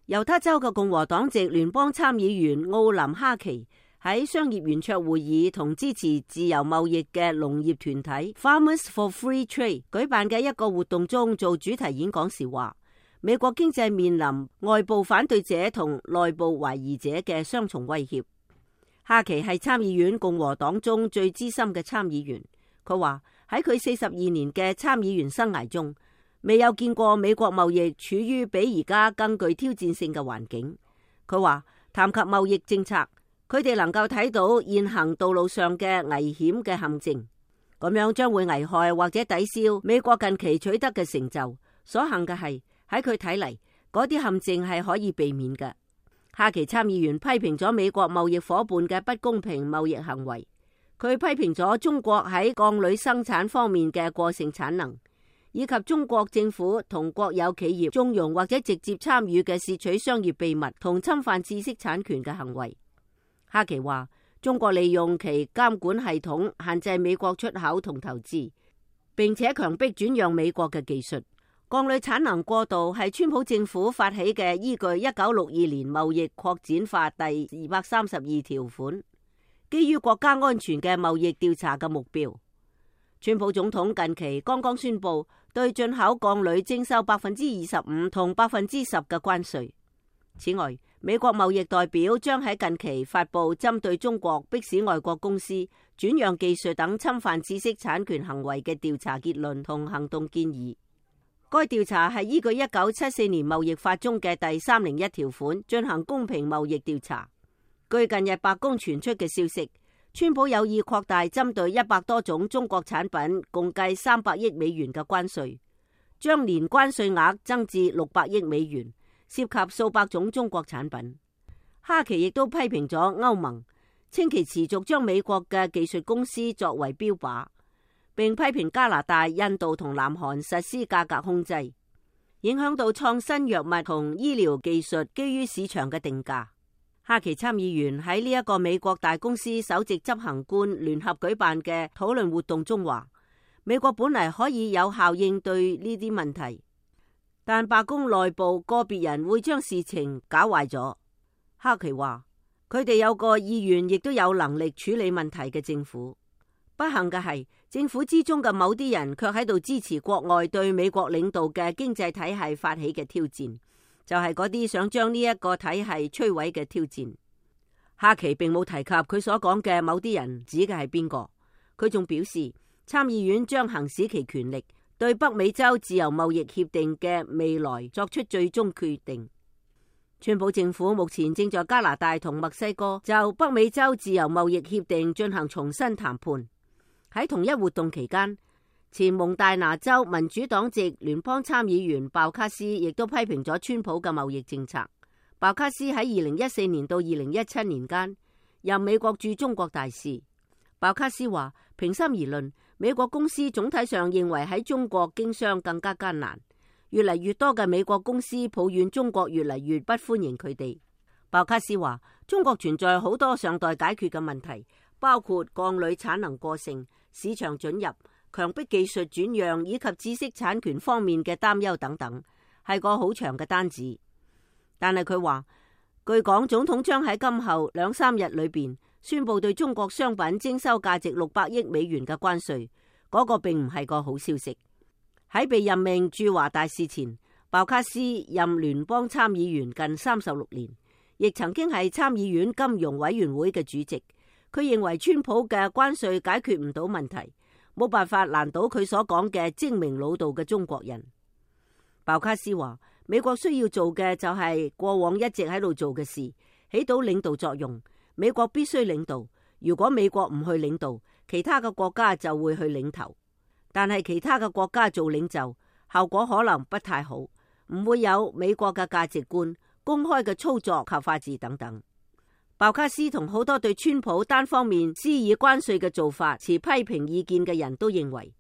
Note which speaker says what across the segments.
Speaker 1: 猶他州嘅共和黨籍聯邦參議員奧林哈奇喺商業圓桌會議同支持自由貿易嘅農業團體 Farmers for Free Trade 舉辦嘅一個活動中做主題演講時話，美國經濟面臨外部反對者同內部懷疑者嘅雙重威脅。哈奇係參議院共和黨中最資深嘅參議員，佢話喺佢42年嘅參議員生涯中，未有見過美國貿易處於比而家更具挑戰性嘅環境。佢話談及貿易政策，佢哋能夠睇到現行道路上嘅危險嘅陷阱，咁樣將會危害或者抵消美國近期取得嘅成就。所幸嘅係喺佢睇嚟，嗰啲陷阱係可以避免嘅。哈奇參議員批評咗美國貿易夥伴嘅不公平貿易行為，佢批評咗中國喺鋼鋁生產方面嘅過剩產能，以及中國政府同國有企業縱容或者直接參與嘅竊取商業秘密同侵犯知識產權嘅行為。哈奇話，中國利用其監管系統限制美國出口同投資，並且強迫轉讓美國嘅技術。鋼鋁產能過度係川普政府發起嘅依據1962年貿易擴展法第232條款，基於國家安全嘅貿易調查嘅目標。川普總統近期剛剛宣布對進口鋼鋁徵收25%同10%嘅關稅。此外，美國貿易代表將喺近期發布針對中國迫使外國公司轉讓技術等侵犯知識產權行為嘅調查結論同行動建議。該調查係依據1974年貿易法中嘅第301條款進行公平貿易調查。據近日白宮傳出嘅消息，川普有意擴大針對100多種中國產品共計300億美元嘅關稅，將年關稅額增至600億美元，涉及數百種中國產品。哈奇亦都批評咗歐盟，稱其持續將美國嘅技術公司作為標靶，並批評加拿大、印度同南韓實施價格控制，影響到創新藥物同醫療技術基於市場嘅定價。哈奇參議員喺呢一個美國大公司首席執行官聯合舉辦嘅討論活動中話，美國本嚟可以有效應對呢啲問題，但白宮內部個別人會將事情搞壞咗。哈奇話，佢哋有個意願亦都有能力處理問題嘅政府。不幸嘅係，政府之中嘅某啲人卻喺度支持國外對美國領導嘅經濟體系發起嘅挑戰，就係嗰啲想將呢一個體系摧毀嘅挑戰。哈奇並冇提及佢所講嘅某啲人指嘅係邊個。佢仲表示，參議院將行使其權力，對北美洲自由貿易協定嘅未來作出最終決定。川普政府目前正在加拿大同墨西哥就北美洲自由貿易協定進行重新談判。喺同一活動期間，前蒙大拿州民主黨籍聯邦參議員鮑卡斯亦都批評咗川普嘅貿易政策。鮑卡斯喺2014年到2017年間任美國駐中國大使。鮑卡斯話，平心而論，美國公司總體上認為喺中國經商更加艱難，越嚟越多嘅美國公司抱怨中國越嚟越不歡迎佢哋。鮑卡斯話，中國存在好多尚待解決嘅問題，包括鋼鋁產能過剩、市場准入、強迫技術轉讓以及知識產權方面嘅擔憂等等，係個好長嘅單子。但係佢話，據講總統將喺今後2-3日裏邊宣布對中國商品徵收價值600億美元嘅關稅，嗰個並唔係個好消息。喺被任命駐華大使前，鮑卡斯任聯邦參議員近36年，亦曾經係參議院金融委員會嘅主席。佢認為川普嘅關稅解決唔到問題，冇辦法難倒佢所講嘅精明老道嘅中國人。鮑卡斯話，美國需要做嘅就係過往一直喺度做嘅事，起到領導作用。美國必須領導，如果美國唔去領導，其他嘅國家就會去領頭。但係其他嘅國家做領袖，效果可能不太好，唔會有美國嘅價值觀、公開嘅操作及法治等等。鮑卡斯同好多對川普單方面施以關稅嘅做法持批評意見嘅人都認為，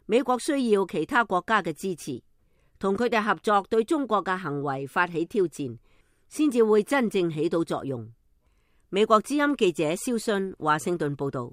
Speaker 1: 美國需要其他國家嘅支持，同佢哋合作對中國嘅行為發起挑戰，先至會真正起到作用。美國之音記者蕭信華盛頓報道。